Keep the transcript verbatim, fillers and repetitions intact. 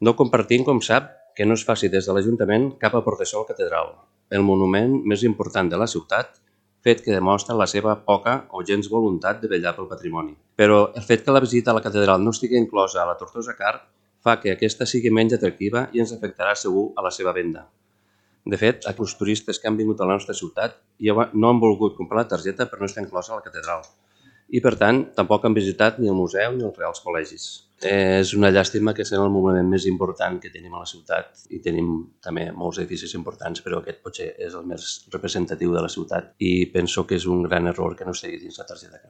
No compartim, com sap, que no es faci des de l'Ajuntament cap aportació a la catedral, el monument més important de la ciutat, fet que demostra la seva poca o gens voluntat de vetllar pel patrimoni. Però el fet que la visita a la catedral no estigui inclosa a la Tortosa Card fa que aquesta sigui menys atractiva i ens afectarà segur a la seva venda. De fet, els turistes que han vingut a la nostra ciutat no han volgut comprar la targeta per no estar inclosa a la catedral i, per tant, tampoc han visitat ni el museu ni els Reals Col·legis. És una llàstima que sigui el monument més important que tenim a la ciutat i tenim també molts edificis importants, però aquest potser és el més representatiu de la ciutat i penso que és un gran error que no estigui dins la targeta.